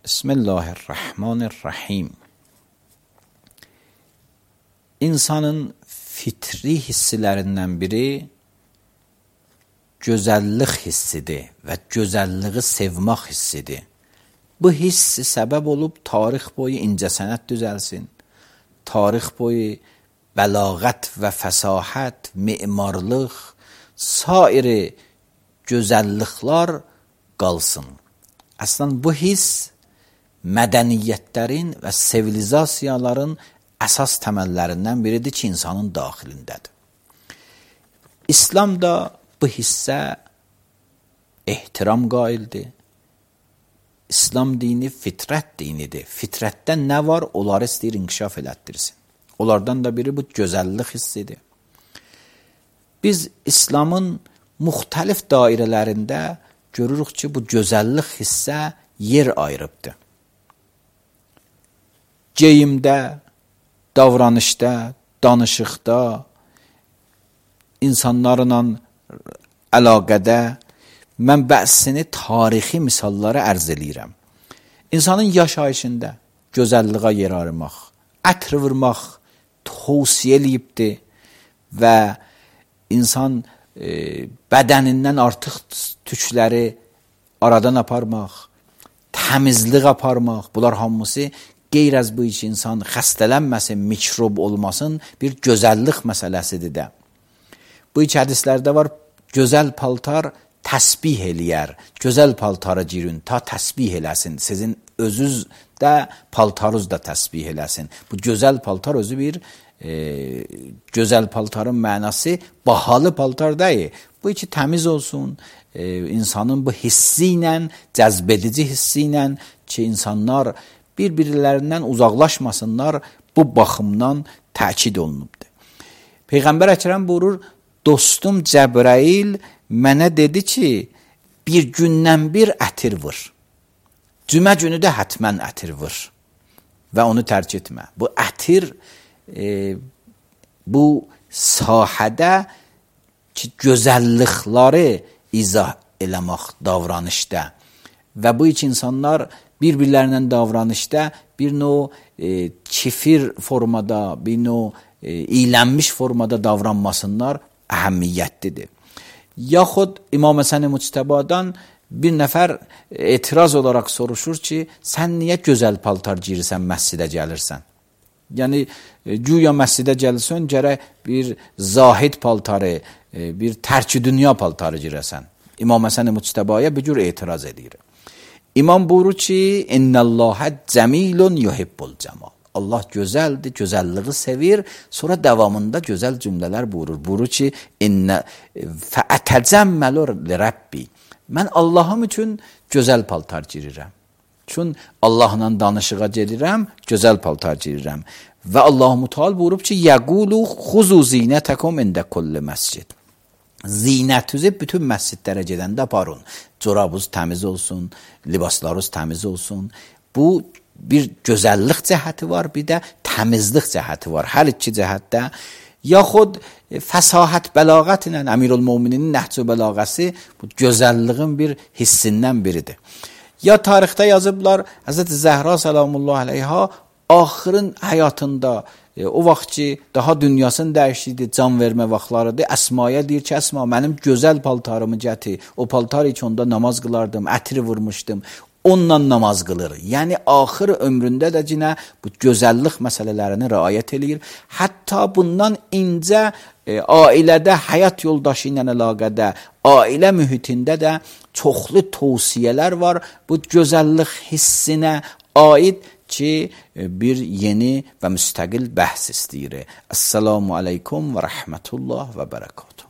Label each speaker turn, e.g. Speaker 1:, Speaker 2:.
Speaker 1: Bismillahirrahmanirrahim. İnsanın fitri hissilərindən biri gözəllik hissidir və gözəlliyi sevmək hissidir. Bu hissi səbəb olub tarix boyu incəsənət düzəlsin, tarix boyu bəlağət və fəsahət, memarlıq, sairi gözəlliklər qalsın. Əslən bu hiss mədəniyyətlərin və sivilizasiyaların əsas təməllərindən biridir ki, insanın daxilindədir. İslam da bu hissə ehtiram qaildir. İslam dini fitrət dinidir. Fitrətdə nə var, onları istəyir inkişaf elətdirsin. Onlardan da biri bu gözəllik hissidir. Biz İslamın müxtəlif dairələrində görürük ki, bu gözəllik hissə yer ayırıbdır. Geyimdə, davranışda, danışıqda, insanlarla əlaqədə mən bəzisini tarixi misallara ərz eləyirəm. İnsanın yaşayışında gözəlliyə yer ayırmaq, ətr vurmaq tövsiyə eləyibdir və insan bədənindən artıq tükləri aradan aparmaq, təmizlik aparmaq, bunlar hamısı qeyr-əz bu iş insan xəstələnməsin, mikrob olmasın bir gözəllik məsələsidir də. Bu iç hədislərdə var, gözəl paltar təsbih eləyər, gözəl paltarı girin, ta təsbih eləsin, sizin özünüz də paltarınız da təsbih eləsin. Bu gözəl paltar özü bir gözəl paltarın mənası bahalı paltar deyil. Bu içi təmiz olsun, insanın bu hissi ilə, cəzbedici hissi ilə ki, insanlar bir-birlərindən uzaqlaşmasınlar, bu baxımdan təkid olunubdur. Peyğəmbər Əkrəm buyurur, dostum Cəbrəil mənə dedi ki, bir gündən bir ətir vur. Cümə günü də hətmən ətir vur və onu tərk etmə. Bu ətir bu sahədə ki, gözəllikləri izah eləmək davranışda və bu iç insanlar bir-birlərindən davranışda bir növ çifir formada, bir növ iylənmiş formada davranmasınlar əhəmiyyətlidir. Yaxud İmam Həsən Müctəbadan bir nəfər etiraz olaraq soruşur ki, sən niyə gözəl paltar girirsən, məscidə gəlirsən? Yəni, güya məscidə gəlirsən, gərək bir zahid paltarı, bir tərk-i dünya paltarı girəsən. İmam Həsən Müctəbaya bir cür etiraz edir. İmam buyurur ki, İnnəlləhə cəmilun yuhibbul cəmal. Allah gözəldir, gözəlliyi sevir. Sonra davamında gözəl cümlələr buyurur. Buyurur ki, fəətəcəmməlu li-Rabbi. Mən Allahım üçün gözəl paltar girirəm. Çünki Allahla danışığa gelirəm, gözəl paltar girirəm. Və Allah-u Teala buyurub ki, yəqulu xuzu zinətəkum ində kulli məscid. Zinətinizi bütün məscidlərə gedəndə aparın. Corabınız təmiz olsun, libaslarınız təmiz olsun. Bu bir gözəllik cəhəti var, bir də təmizlik cəhəti var. Hər iki cəhətdə yaxud fəsahət, bəlağət ilə Əmirül-Möminin Nəhc-ü Bəlağəsi bu gözəlliyin bir hissindən biridir. Ya tarixdə yazıblar, Həzrəti Zəhra salamullah əleyha axırın həyatında o vaxt ki, daha dünyasını dəyişdirdi, can vermə vaxtlarıdır. Əsmaya deyir ki, Əsma, mənim gözəl paltarımı gətir. O paltar heç onda namaz qılardım, ətri vurmuşdum. Onunla namaz qılır. Yəni, axır ömründə də cinə bu gözəllik məsələlərini riayət edir. Hətta bundan incə ailədə, həyat yoldaşı ilə əlaqədə, ailə mühitində də çoxlu tövsiyələr var. Bu gözəllik hissinə aid ki, bir yeni və müstəqil bəhs istəyir. Əssalamu aleykum və rəhmətullah və bərəkatuhu.